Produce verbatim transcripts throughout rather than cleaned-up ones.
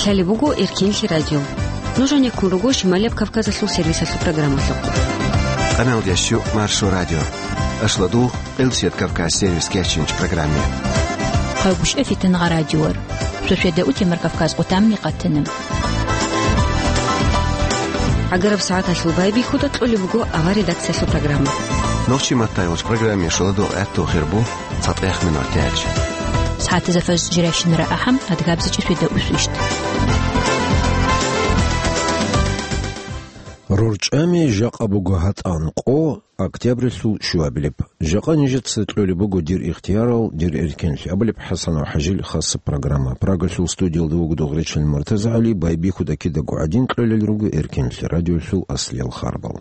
Лъалеб буго Эркенлъи радио. Нуж гьанеккун руго Шималияб Кавказалъул сервисалъул программалъухъ. Къаналдящу Маршо радио. Ашладу Къилсият Кавказ сервис кечинч программе. Хъагушев Фитнагъа радиор. Шошеда утемар Кавказ къутамни къатана. Агараб сагӀаталъул байбихьуда кьолеб буго авар редакциялъул программа. Нохчи маттайгъуч программе шоладу гӀатту хирбу. ЦатӀех минутач. СагӀатазда фажр жирайщинара ахӀам, адгабзичӀеб шведа усвищ. РорчӀами жакъа буго гьатӀан къо, октябрилъул щуабилеб. Жакъа нижеца кьолеб буго дир ихтиярал, дир эркенлъи абулеб ХӀасанов ХӀажил хасаб программа. Прагалъул студиялда вуго Дугъричил МуртазагӀали, байбихьуда кидаго гӀадин кьолел руго Эркенлъи радиолъул аслиял харбал.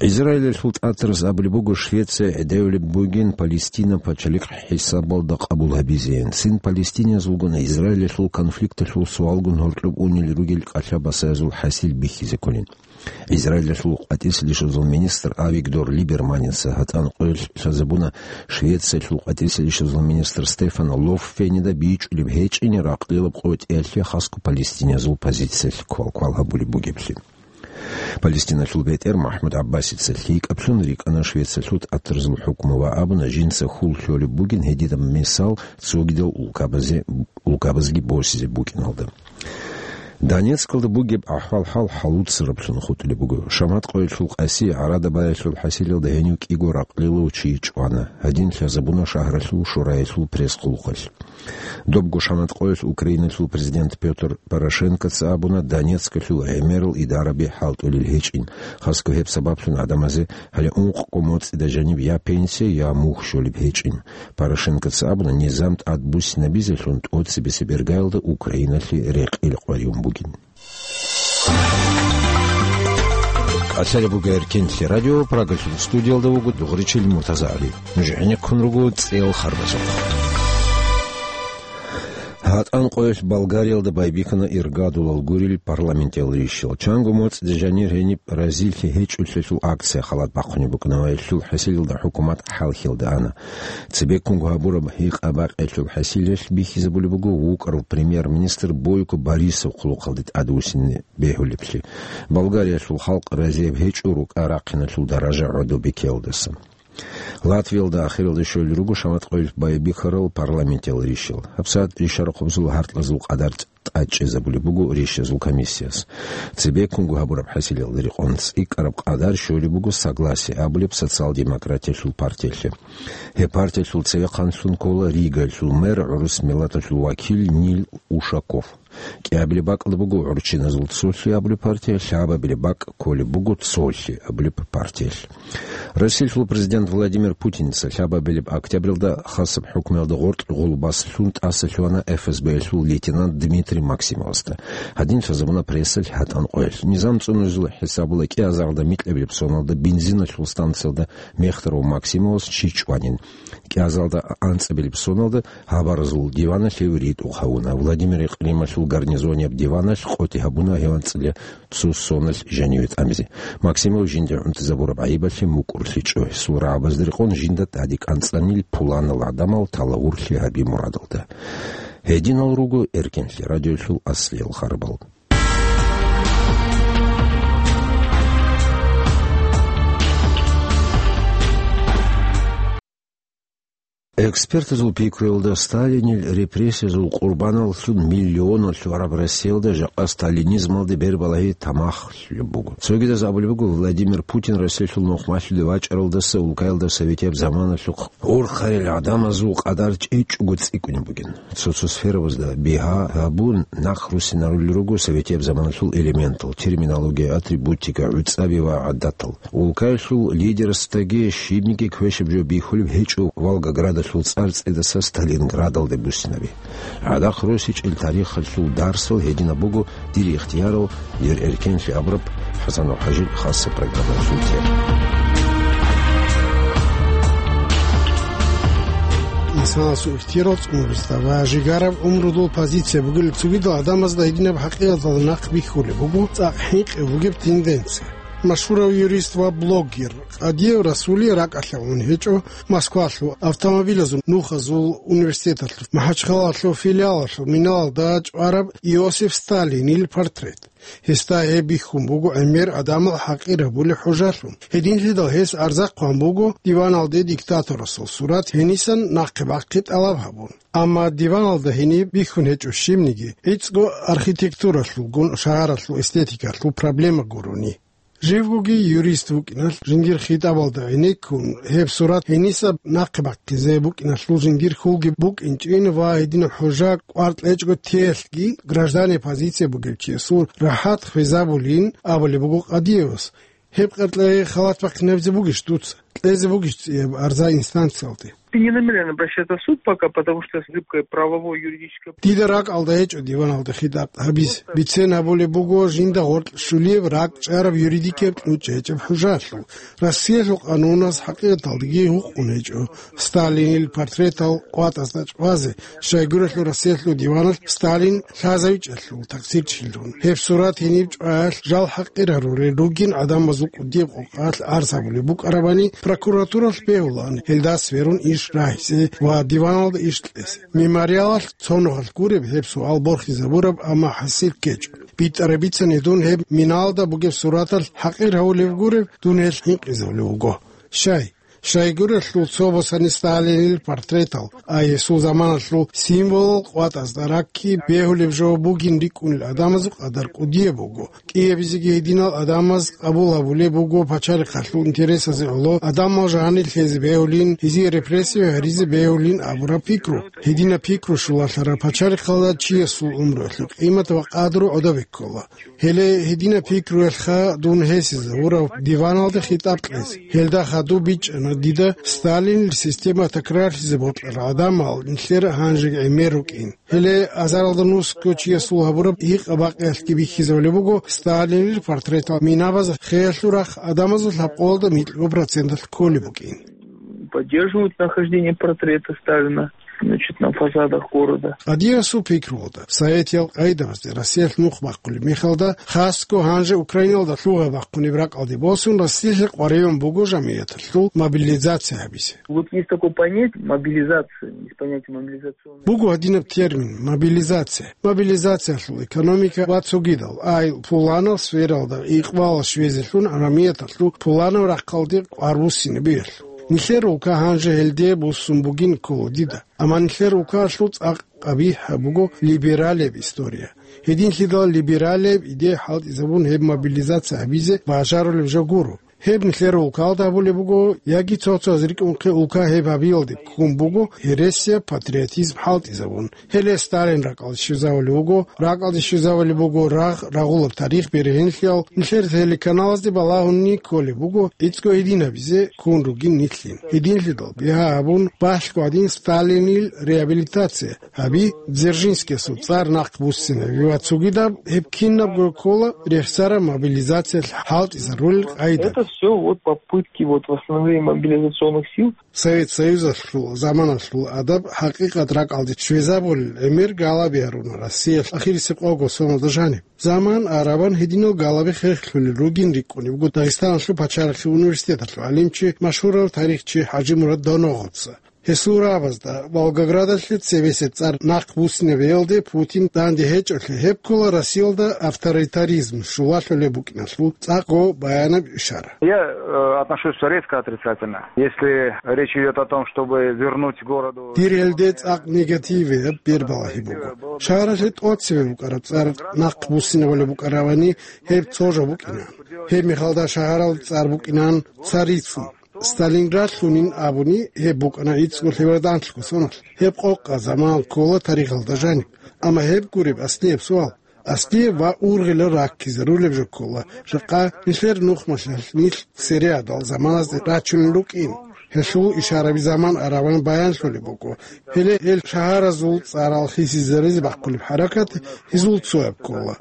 Израилалъул тӀатараз абулеб буго, Швеция гӀедевлеб бугин Палестина пачалихъ хӀисабалда къабул гьабизейин. Цин палестинияз вугони Израилалъул конфликталъул суалгун гьоркьоб унел ругел кӀалъа-басаязул хӀасил бихьизе кколин. Израилалъул къватӀисел ишазул министр Авигдор Либерманица гьатӀан къоялъ лъазабуна, Швециялъул къватӀисел ишазул министр Стефан Лоффенида бичӀчӀулеб гьечӀин ракълилаб къотӀиялъе хасго палестиниязул позициялъе квалквал гьабулеб бугеблъи. Палестиналъул бетӀер МахӀмуд ГӀаббасица лъикӀаблъун рикӀкӀана Швециялъул тӀатарзул хӀукму ва абуна, жинца хьул лъолеб бугин гьединаб мисал цогидал улкабазе-, улкабазги босизе букӀиналда. Донецкалда бугеб ахӀвал-хӀал хӀалуцараблъун хутӀулеб буго. Шамат къоялъул къаси гӀарада баялъул хӀасилалда гьенив кӀиго ракълилав чи чӀвана. Гьадин лъазабуна шагьаралъул шураялъул пресс-хъулухъалъ. Добго Шамат къоялъ Украиналъул президент Пётр Порошенкоца абуна, Донецкалъул гӀемерал идараби хӀалтӀулел гьечӀин. Хасго гьеб сабаблъун гӀадамазе гьале ункъго моцӀида жаниб я пенсия, я мухь щолеб гьечӀин. Порошенкоца абуна, низам тӀадбуссинабизелъун тӀоцебесеб иргаялда Украиналъе рекъел къваригӀун бугин. Лъалеб буго Эркенлъи радио, Прагалъул студиялда вуго Дугъричил МуртазагӀали. Нуж гӀенеккун руго цӀел харбазухъ. ГьатӀан къоялъ Болгариялда байбихьана иргадулал гурил парламентиял рищал. Чанго моцӀида жанир гьениб разилъи гьечӀолъиялъул акция халат бахъунеб букӀана ва гьелъул хӀасилалда хӀукумат хӀалхьиялда ана. Цебеккунго гьабураб гьикъа-бакъиялъул хӀасилалъ бихьизабулеб буго вукӀарав премьер-министр Бойко Борисов хъулухъалде тӀадвуссине бегьулеблъи. Болгариялъул халкъ разияб гьечӀо рукӀа-рахъиналъул даража гӀодобикеялдаса. Латвиялда ахиралде щолел руго Шамат къоялъ байбихьарал парламентиял рищал. ГьабсагӀат ришарахъубазул гьаркьазул къадар тӀадчӀезабулеб буго рищазул комиссияс. Цебеккунго гьабураб хӀасилалда рекъон цӀикӀкӀараб къадар щолеб буго «Согласие» абулеб социал-демократиялъул партиялъе. Гьеб партиялъул цевехъанлъун ккола Ригалъул мэр, гӀурус миллаталъул вакил Нил Ушаков. КӀиабилеб бакӀалда буго «ГӀурччиназул цолъи» абулеб партия, лъабабилеб бакӀ кколеб буго «Цолъи» абулеб партиялъ. Россиялъул президент Владимир Путинца лъабабилеб октябрьалда хасаб хӀукмуялда гъоркь гъолбас лъун тӀаса лъугьана ФСБ-ялъул лейтенант Дмитрий Максимовасда. Гьадин лъазабуна прессалъ гьатӀан къоялъ. Низам цӀунаризул хӀисабалда кӀиазарда микьабилеб соналда бензиналъул станциялда мехтарав Максимовас чи чӀванин. КӀиазарда анцӀабилеб соналда гьабаразул диваналъ гьев ритӀухъ гьавуна. Владимир Кьрималъул гарнизонияб диваналъ къотӀи гьабуна гьев анцӀила цо соналъ жаниве тӀамизе. Максимов жинда гӀунтӀизабураб гӀайибалъе мукӀурлъичӀо. Гьесул рагӀабазда рекъон жинда тӀаде кӀанцӀанил пуланал гӀадамал талагьурлъи гьаби мурадалда. Гьединал руго Эркенлъи радиолъул аслиял харбал. Экспертазул пикруялда, Сталинил репрессиязул къурбаналлъун миллионалъугӀараб Россиялда жакъа сталинизмалде бербалагьи тамахлъулеб буго. Цогидаз абулеб буго, Владимир Путин Россиялъул нухмалъулев вачӀаралдаса улкаялда советияб заманалъухъ урхъарил гӀадамазул къадар чӀечӀого цӀикӀкӀунеб бугин. Цо-цо сферабазда бигьа гьабун, нахъ руссинарулел руго советияб заманалъул элементал, терминология, атрибутика, гӀуцӀаби ва гӀадатал. Улкаялъул лидерасдаги щибниги квешаб жо бихьулеб гьечӀо Волгоградалъул цӀар цӀидаса Сталинградалде буссинаби. ГӀадахъ росичӀел тарихалъул дарсал гьединаб буго, дир ихтиярал, дир эркенлъи абураб ХӀасан ХӀажил хасаб программаялъул тема. Инсанасул ихтияр цӀунаризда ва жигараб гӀумрудул позиция бугел цогидал гӀадамазда гьединаб хӀакъикъаталда нахъ бихьулеб буго цӀакъ хӀинкъи бугеб тенденция. Машгьурав юрист ва блогер Къадиев Расулие ракӀалъ гьавун гьечӀо Москвалъул автомобилазул нухазул университеталъул МахӀачхъалалъул филиалалъул миналалда чӀвараб Иосиф Сталинил портрет. Гьесда гьеб бихьун буго гӀемер гӀадамал хӀакъир гьабулеб хӀужалъун. Гьединлъидал гьес арза хъван буго диваналде диктаторасул сурат гьенисан нахъе бахъи тӀалаб гьабун. Амма диваналда гьениб бихьун гьечӀо щибниги, гӀицӀго архитектуралъулгун шагьаралъул эстетикалъул проблема гурони. Живгоги юрист вукӀиналъ жиндир хитӀабалда гӀенеккун, гьеб сурат гьениса нахъе бахъизе букӀиналъул жиндир хьулги букӀинчӀин ва гьединаб хӀужа кӀвар кьечӀого теялъги гражданиял позиция бугев чиясул рахӀат хвезабулин абулеб буго Къадиевас. Гьеб къеркьей халат бахъинабизе бугищ дуца? Кьезе бугищ цӀияб арза инстанциялде? Я не намерен обращаться в суд пока, потому что зыбкое правовое, юридическое. Дида ракӀалда гьечӀо диваналда хитӀаб гьабизе. Бицен гьабулеб буго жинда гъоркь щулияб ракӀчӀараб юридикияб кьучӀ гьечӀеб хӀужалъул. Россиялъул къануназ хӀакъикъаталдаги гьукъун гьечӀо Сталинил портретал къватӀазда чӀвазе, щайгурелъул Россиялъул диваналъ Сталин лъазавичӀелъул таксирчилъун. Гьеб сурат гьениб чӀваялъ жал хӀакъир гьарулел ругин гӀадамазул кӀудияб къокъалъ арз гьабулеб букӀарабани, прокуратуралъ бегьулаан, гьелда сверун иш рагьизе ва диваналда иш кьезе. Мемориалалъ цо нухалъ гуреб гьеб суал борхизабураб, амма хӀасил ккечӀо. БитӀараб бицани дун гьеб миналда бугеб сураталъ хӀакъир гьавулеб гуреб, дун гьелъ гьинкъизабулев вуго. Щай? Щайгурелъул цо босани Сталинил портретал, ай гьесул заманалъул символал къватӀазда ракки бегьулеб жо бугин рикӀкӀунел гӀадамазул къадар кӀудияб буго. КӀиабизеги гьединал гӀадамаз къабул гьабулеб буго пачалихъалъул интересазе гӀоло, гӀадамал жанир лъезе бегьулин, гьезие репрессия гьаризе бегьулин абураб пикру. Гьединаб пикру щулалъараб пачалихъалда чиясул гӀумруялъул къимат ва къадру гӀодобе ккола. Гьеле гьединаб пикруялъха дун гьесизавурав диваналде хитӀаб кьезе. Гьелда хадуб бичӀчӀана дида Сталинил система такрарлъизе бокьарал гӀадамал нилъер гьанжеги гӀемер рукӀин. Гьеле азаралда нусго чиясул гьабураб гьикъа-бакъиялъги бихьизабулеб буго, Сталинил портретал минабаз хеялъул рахъ гӀадамазул лъабкъоялда микьго проценталъ кколеб букӀин. Поддерживают нахождение портрета Сталина, значит, на фасадах города. Къадиевасул пикруялда, советиял къайдабазде Россиялъ нух бахъулеб мехалда, хасго гьанже Украиналда лъугьа бахъунеб ракӀалде босун, Россиялъе къваригӀун буго жамигӀяталъул мобилизация гьабизе. Вот есть такое понятие мобилизация, есть понятие мобилизационной. Буго гьадинаб термин мобилизация. Мобилизациялъул экономика ва цогидал, ай пуланал сфералда икъбал щвезелъун гӀаламияталъул пуланав рахъалде къварбуссинабиялъул. Нилъер улка гьанже гьелде буссун бугин ккола дида. Амма нилъер улкаялъул цӀакъ къабихӀаб буго либералияб история. Гьединлъидал либералияб идея хӀалтӀизабун гьеб мобилизация гьабизе бажарулеб жо гуро. Гьеб нилъер улкалда гьабулеб буго, яги цо-цояз рикӀкӀунхъе улка гьеб гьабиялде ккун буго гьересияб патриотизм хӀалтӀизабун. Гьеле Сталин ракӀалде щвезавулев вуго, ракӀалде щвезавулеб буго рагъ-рагъулаб тарих бергьенлъиял, нилъер телеканалазде балагьунни кколеб буго гӀицӀго гьединабизе ккун ругин нилъин. Гьединлъидал бигьа гьабун, балъго гӀадин Сталинил реабилитация гьаби, Дзержинскиясул цӀар нахъ буссинаби ва цогидаб гьеб кинабго ккола рехсараб мобилизациялъ хӀалтӀизарулел къайда. Это всё вот попытки вот восстановления мобилизационных сил. Совет Союзалъул заманалъул адаб хӀакъикъат ракӀалде щвезабулел гӀемер галаби гьаруна Россиялъ ахирисеб къого соналда жаниб. Заман арабан гьединал галаби хехлъулел ругин рикӀкӀунеб буго Дагъистаналъул пачалихъе университеталъул гӀалимчи, машгьурав тарихчи ХӀажимурад Доноговца. Гьесул рагӀабазда Волгоградалъе цебесеб цӀар нахъ буссинабиялде Путин данде гьечӀолъи гьеб ккола Россиялда авторитаризм щулалъулеб букӀиналъул цӀакъго баянаб ишара. Я, э, отношусь резко отрицательно. Если речь идёт о том, чтобы вернуть городу... Дир гьелде цӀакъ негативияб бер балагьи буго. Шагьаралъе тӀоцебе букӀараб цӀар нахъ буссинабулеб букӀаравани, гьеб цо жо букӀина. Гьеб мехалда шагьаралда цӀар букӀинан Царицын. Сталинград лъунин абуни, гьеб букӀана гӀицӀго лъебердан лъугьа соналъ. Гьеб къокъа заман ккола тарихалда жаниб. Амма гьеб гуреб аслияб суал. Аслияб ва ургъилаб раккизарулеб жо ккола, жакъа нилъер нухмалъалъ нилъ цереадал заманазде рачунел рукӀин. Гьелъул ишараби заман араван баянлъулеб буго. Гьеле гьел шагьаразул цӀарал хисизаризе бахъулеб хӀаракат гьезул цояб ккола.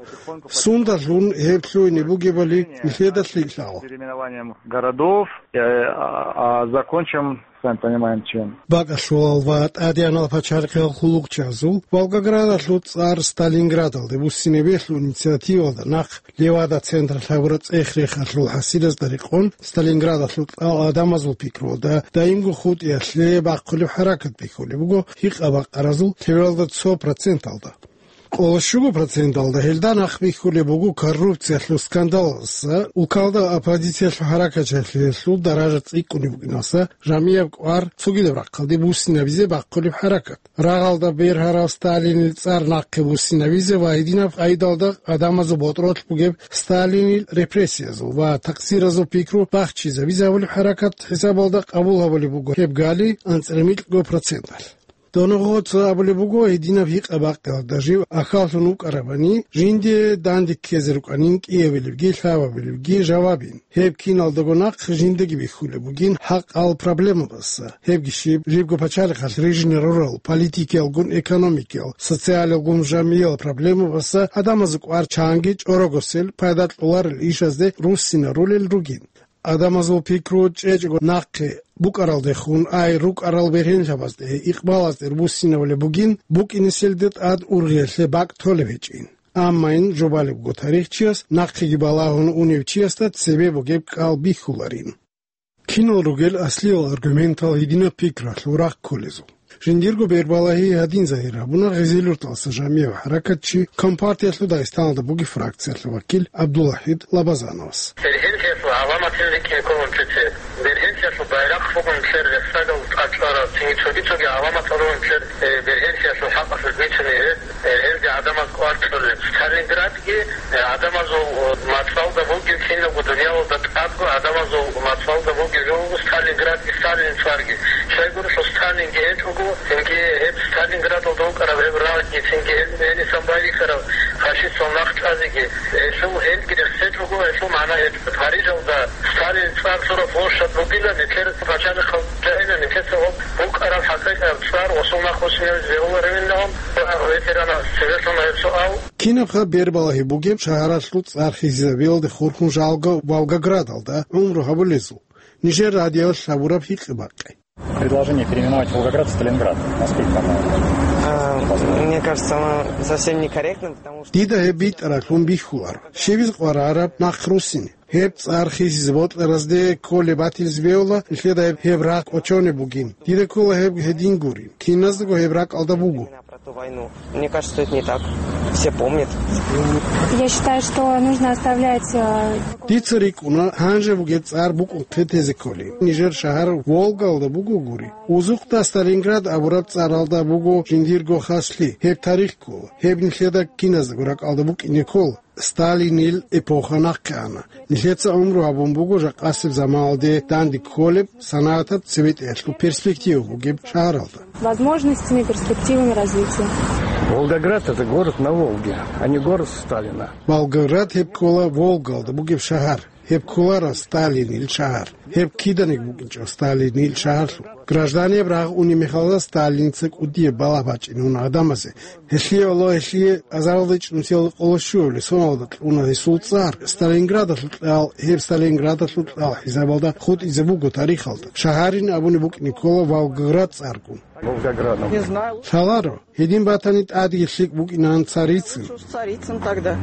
Сундалъун гьеб лъугьине бугебали нилъеда лъикӀлъала. Переименованием городов, э, а, а, закончим Сами понимаем, чем. Бакалъулал ва тӀадегӀанал пачалихъал хъулухъчазул Волгоградалъул цӀар Сталинградалде буссинабиялъул инициативалда нахъ Левада централъ гьабураб цӀех-рехалъул хӀасилазда рекъон, Сталинградалъул кьал гӀадамазул пикруялда даимго хутӀиялъе бахъулеб хӀаракат бихьулеб буго гьикъа-бакъаразул лъебералда цо проценталда. Къоло щуго проценталда гьелда нахъ бихьулеб буго коррупциялъул скандалалдаса, улкалда оппозициялъул хӀаракатчагӀлъиялъул даража цӀикӀкӀунеб букӀиналдаса, жамияб кӀвар цогидаб рахъалде буссинабизе бахъулеб хӀаракат. Рагъалда бергьарав Сталинил цӀар нахъе буссинабизе ва гьединаб къайдалда гӀадамазул ботӀролъ бугеб Сталинил репрессиязул ва такъсиразул пикру бахчизабизе гьабулеб хӀаракат хӀисабалда къабул гьабулеб буго гьеб гали анцӀила микьго проценталъ. Доногъоца абулеб буго, гьединаб гьикъа-бакъиялда жив ахьаллъун вукӀарабани, жинде данде ккезе рукӀанин кӀиабилебги лъабабилебги жавабин. Гьеб киналдаго нахъ жиндаги бихьулеб бугин хӀакъал проблемабаса. Гьебги щиб, жибго пачалихъалъ рижине рурал политикиялгун, экономикиял, социалиялгун, жамиял проблемабаса гӀадамазул кӀвар чанги чӀорогосел, пайда кьоларел ишазде руссинарулел ругин. Адамазул пикру чӀечӀого нахъе букӀаралдехун, ай рукӀарал бергьенлъабазде, икъбалазде руссинабулеб бугин, букӀинеселде тӀад ургъиялъе бакӀ толеб гьечӀин. Аммайин жубалеб буго тарихчияс, нахъеги балагьун унев чиясда цебе бугеб кӀал бихьуларин. Кинал ругел аслиял аргументал гьединаб пикралъул рахъ кколезул? Жиндирго бербалагьи гьадин загьир гьабуна Гъезилюрталса жамигӀ хӀаракатчи, Компартиялъул Дагъистаналда бугеб фракциялъул вакил ГӀабдулахӀид Лабазановас. Бергьенлъиялъул гӀаламатин рикӀкӀине ккола нилъеца. Бергьенлъиялъул байрахъ буго нилъер рехсагал тӀад чӀвараб, цинги цоги-цоги гӀаламатал руго нилъер, э, бергьенлъиялъул хӀакъалъулъ бицунеб гьеб, э, гьелги гӀадамаз кӀвар кьолеб. Сталинградги, э, гӀадамазул, э, мацӀалда бугеб, кинабго дуниялалда тӀадго гӀадамазул мацӀалда бугеб жо буго Сталинградги Сталинил цӀарги. Щайгурелъул Сталинги гьечӀого, цинги гьеб Сталинградалда вукӀараб гьеб рагъги, цинги гьел гьенисан байбихьараб фашистал нахъ чӀвазеги, гьелъул гьелги рехсечӀого, гьелъул магӀна гьечӀо. Парижалда Сталинил цӀар лъураб площадь бугила, нилъер пачалихъал жагьила, нилъеца гьоб букӀараб хӀакъикъаб цӀар гъосул нахъ буссинабизе бегьуларо гьавинагӀан, ветеранас цебе лъуна гьеб суал. Кинабха бербалагьи бугеб шагьаралъул цӀар хисизабиялде хурхун жалго Волгоградалда гӀумру гьабулезул? Нижер радиоялъ гьабураб гьикъи-бакъи. Предложение переименовать Волгоград в Сталинград. Насколько оно А, мне кажется, оно совсем некорректно, потому что Дида гьеб битӀаралъун бихьуларо. Щибиз къварараб нахъ руссине? Гьеб цӀар хисизе бокьаразде кколеб батилзе бегьула, нилъеда гьеб, гьеб рагъ кӀочонеб бугин. Дида ккола гьеб гьедин гурин. Киназдаго гьеб ракӀалда буго. Про ту войну. Мне кажется, это не так. Все помнят. Я считаю, что нужно оставлять, э, Дица рикӀкӀуна, гьанже бугеб цӀар букӀунхъе тезе кколин. Нижер шагьар Волгалда буго гури. Узухъда Сталинград абураб цӀаралда буго жиндирго хаслъи. Гьеб тарих ккола. Гьеб нилъеда киназдаго ракӀалда букӀине ккола. Сталинил эпоха нахъе ана. Нилъеца гӀумру гьабун буго жакъасеб заманалде данде кколеб, санагӀатаб цебетӀеялъул перспектива бугеб шагьаралда. Возможностями, перспективами развития. Волгоград — это город на Волге, а не город Сталина. Волгоград гьеб ккола Волгалда бугеб шагьар. Гьеб кколаро Сталинил шагьар. Гьеб киданиги букӀинчӀо Сталинил шагьарлъун. Гражданияб рагъ унеб мехалда Сталинца кӀудияб балагь бачӀине уна гӀадамазе. Гьелъие валлагь, гьелъие азаралда ичӀнусиялда къоло щуабилеб соналда кьуна гьесул цӀар, Сталинградалъул кьал, гьеб Сталинградалъул кьал хӀисабалда хутӀизе буго тарихалда. Шагьарин абуни букӀине ккола Волгоград цӀаргун. Волгоградом. Лъаларо, гьедин батани тӀадги лъикӀ букӀинан Царицин. Царицин тогда.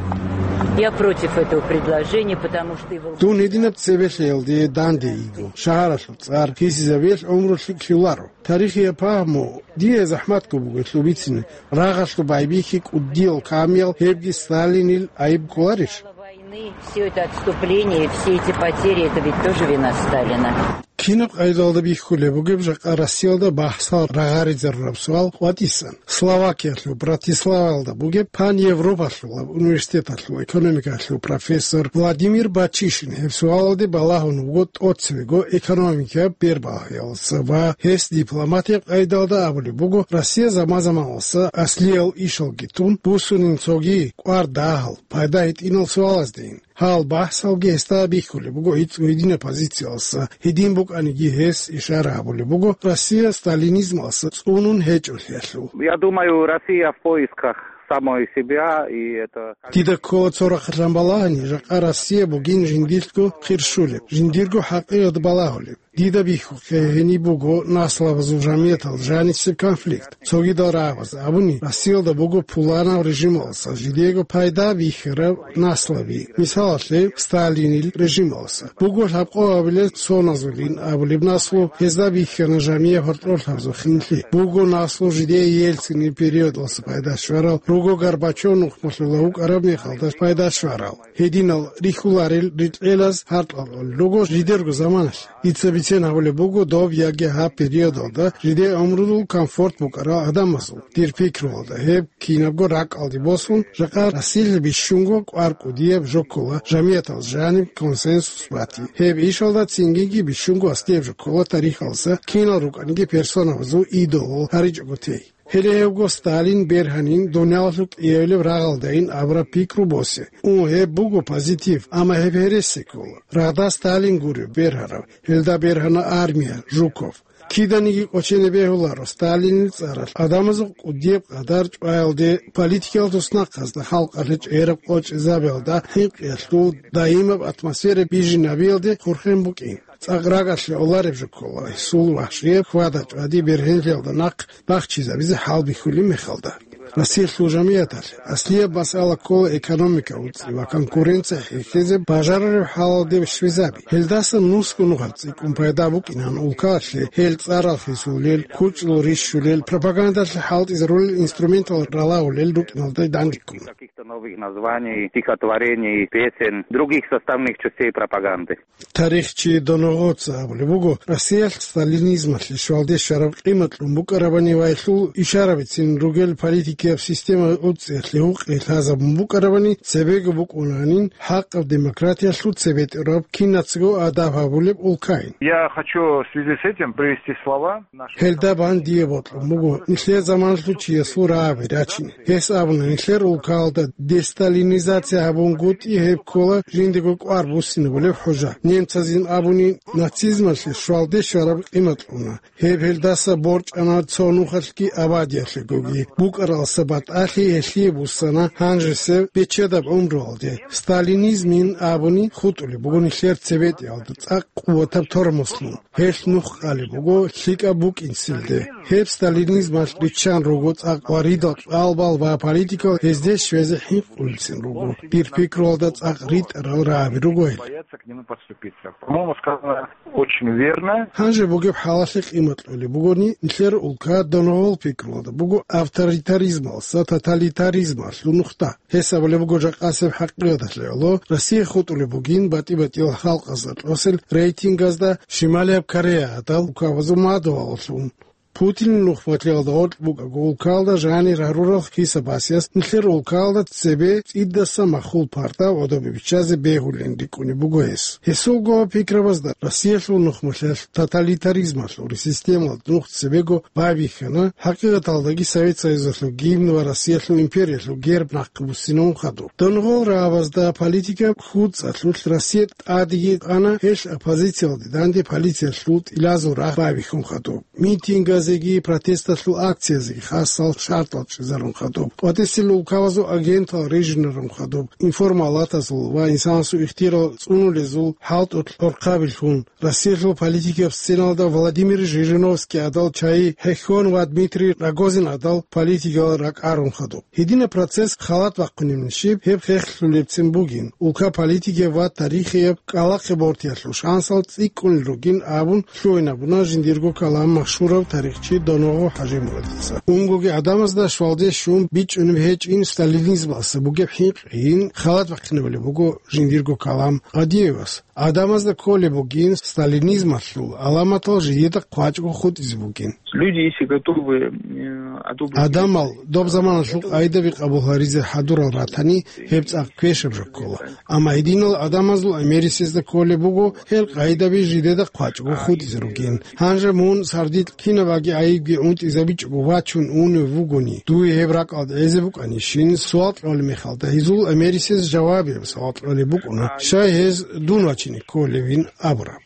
Я против этого предложения, потому что и Волгоград Дун гьединаб цебе лъеялде данде йиго. Шагьаралъул цӀар хисизабиялъ гӀумру лъикӀлъи лъуларо. Тарихияб пагьму дие захӀматго буго гьелъул бицине, рагъалъул байбихьи кӀудиял камиял гьебги Сталинил айиб кколарищ? Войны, всё это отступление, все эти потери, это ведь тоже вина Сталина. Кинаб къайдалда бихьулеб бугеб жакъа Россиялда бахӀсал рагъаризарураб суал къватӀисан? Словакиялъул Братиславалда бугеб паневропалъулаб университеталъул экономикалъул профессор Владимир Бачишин гьеб суалалде балагьун вуго тӀоцевего экономикияб бербагьиялдаса ва гьес дипломатияб къайдалда абулеб буго Россия заман-заманалса аслиял ишалги тун буссунин цоги кӀвар дагьал, пайда гьитӀинал суалаздейин. Гьал бахӀсалги гьесда бихьулеб буго гьитӀ-, гьединаб позициялдаса, гьедин букӀаниги гьес ишара гьабулеб буго Россия сталинизмалдаса цӀунун гьечӀолъиялъул. Я думаю, Россия в поисках самой себя, и это Дида ккола цо рахъалъан балагьани, жакъа Россия бугин жиндилъго хирщулеб, жиндирго хӀакъикъат балагьулеб. Дида бихьухъе гьениб буго наслабазул жамиятал жанисеб конфликт. Цогидал рагӀабаз абуни, Россиялда буго пуланаб режималдаса жидего пайда бихьараб наслаби. Мисалалъе, Сталинил режималдаса буго лъабкъо абилел соназулин абулеб наслу, гьезда бихьана жамияб гьоркьорлъабазул хинлъи. Буго наслу жидее Ельцинил периодалдаса пайда щварал, руго Горбачев нухмалъула вукӀараб мехалда пайда щварал. Гьединал рихьуларел рикьелаз гьаркьалъулел руго жидерго заманалъ. Дица бицен гьабулеб буго доб яги гьаб периодалда жидее гӀумрудул комфорт букӀарал гӀадамазул. Дир пикруялда, гьеб кинабго ракӀалде босун, жакъа Россиялъ бищунго кӀвар кӀудияб жо ккола жамиятал жаниб консенсус бати. Гьеб ишалда цинги бищунго аслияб жо ккола тарихалдаса кинал рукӀаниги персонабазул идолал гьаричӀого тей. Гьеле гьевго Сталин бергьанин, дуниялалъул кӀиявилеб рагъалдайин абураб пикру босе. Ун, гьеб буго позитив, амма гьеб гьереси ккола. Рагъда Сталин гуреб бергьарав, гьелда бергьана армия, Жуков. Киданиги кӀочене бегьуларо Сталинил цӀаралъ гӀадамазул кӀудияб къадар чӀваялде, политикиял туснахъазда халкъалъе чӀераб къочӀизабиялда хӀинкъиялъул даимаб атмосфера бижинабиялде хурхен букӀин. ЦӀакъ рагӀалъе олареб жо ккола гьесул вагьшияб хьвада-чӀвади бергьенлъиялда нахъ бахчизабизе хӀалбихьулеб мехалда. Россиялъул жамияталъ аслияб масъала ккола экономика уцӀи ва конкуренция хӀехьезе бажарареб хӀалалде щвезаби. Гьелдасан нусго нухалъ цӀикӀкӀун пайда букӀинан улкалъе, гьел цӀарал хисулел, кучӀдул рищулел, пропагандалъе хӀалтӀизарулел инструментал ралагьулел рукӀиналда дандеккун. Каких-то новых названий, стихотворений, песен, других составных частей пропаганды. Тарихчи Доногъоца абулеб буго, Россиялъ сталинизмалъе щвалде щвараб къимат кьун букӀарабани ва гьелъул ишарабицин ругел политикияб система уцӀиялъе гьукъи лъазабун букӀарабани, цебего букӀунанин хӀакъаб демократиялъул цебетӀераб кинацаго адаб гьабулеб улкайин. Я хочу в связи с этим привести слова. Гьелда бан дие бокьун буго нилъер заманалъул чиясул рагӀаби рачин. Гьес абуна, нилъер улкалда десталинизация гьабунгутӀи гьеб ккола жиндего кӀвар буссинабулеб хӀужа. Немцазин абуни, нацизмалъе щвалде щвараб къимат кьуна. Гьеб гьелдаса борчӀана цо нухалъги абадиялъегоги. БукӀаралдаса батӀалъи гьелъие буссана гьанжесеб бечедаб гӀумруялде. Сталинизмин абуни хутӀулеб буго нилъер цебетӀиялда цӀакъ къуватаб тормозлъун. Гьелъ нух къалеб буго лъикӀаб букӀинцинде. Гьеб сталинизмалъ риччан руго цӀакъ ва ридал кьалбал ва политикал гьезде щвезе хӀинкъулцин руго. Дир пикруялда цӀакъ ритӀарал рагӀаби руго гьел. Боятся к нему подступиться. По-моему, сказано очень верно. Гьанже бугеб хӀалалъе къимат кьолеб бугони, нилъер улка доногъол пикруялда буго авторитаризмалса тоталитаризмалъул нухда. Гьес абулеб буго жакъасеб хӀакъикъаталъе гӀоло, Россия хутӀулеб бугин батӀи-батӀиял халкъазда тӀосел рейтингазда Шималияб Корея гьадал улкабазул мадугьаллъун. Путинил нухмалъиялда гъоркь букӀаго улкалда жанир гьарурал хисабасиялъ нилъер улкалда цебе цӀидаса махул парда гӀодобе биччазе бегьулин рикӀкӀунеб буго гьес. Гьесулго пикрабазда Россиялъул нухмалъиялъ тоталитаризмалъул системалда нух цебего байбихьана, хӀакъикъаталдаги Совет Союзалъул гимн ва Россиялъул империялъул герб нахъе буссинавун хадуб. Донгъол рагӀабазда политика хьуцӀалъулъ Россия тӀадеги къана, гьелъ оппозициялде данде полициялъул тӀилазул рагъ байбихьун хадуб. Митингазеги протесталъул акциязеги хасал шартӀал чӀезарун хадуб. КъватӀисел улкабазул агентал режинарун хадуб. Информалатазул ва инсанасул ихтияр цӀунулезул хӀалтӀулъ гӀорхъабилъун. Россиялъул политикияб сценалда Владимир Жириновский гьадал чагӀи хӀехьон ва Дмитрий Рогозин гьадал политикиял ракӀарун хадуб. Гьединаб процесс халат бахъунеб нижиб гьеб хехлъулебцин бугин, улка политикияб ва тарихияб кӀкӀалахъе бортиялъул шансал цӀикӀкӀунел ругин абун лъугӀинабуна жиндирго калам машгьурав тарихчи Доногъо ХӀажимурадица. Унгоги гӀадамазда щвалде щун бичӀчӀунеб гьечӀин сталинизмалса бугеб хӀинкъийин халат бахъинабулеб буго жиндирго калам Къадиевас. ГӀадамазда кколеб бугин сталинизмалъул гӀаламатал жидеда хъвачӀго хутӀизе бугин. Люди, если готовы, э, одобрить... Адамал доб заманалъул къайдаби къабул гьаризе хӀадурал ратани, гьеб цӀакъ квешаб жо ккола. Амма гьединал адамазул америсезда кколеб буго гьел къайдаби жидеда хъвачӀго хутӀизе ругин. Гьанже мун сардилъ кинабаги гӀайибги унтӀизабичӀого вачун унев вугони, дуе гьеб ракӀалда гӀезе букӀанищин суал кьолеб мехалда, гьезул америсез жавабияб суал кьолеб букӀуна, щай гьез дун вачине кколевин абураб.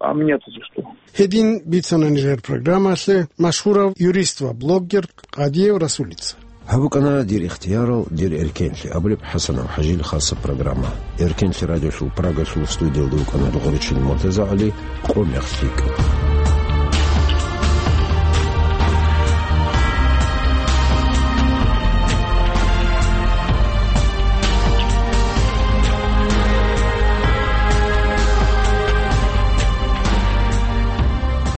А меня-то за что? Гьедин бицана нижер программалъе машгьурав юрист ва блогер Къадиев Расулица. Гьаб букӀана «Дир ихтиярал, дир эркенлъи» абулеб ХӀасанов ХӀажил хасаб программа. Эркенлъи радиолъул Прагалъул студиялда вукӀана Дугъуричил МуртазагӀали. Къо мехлъи.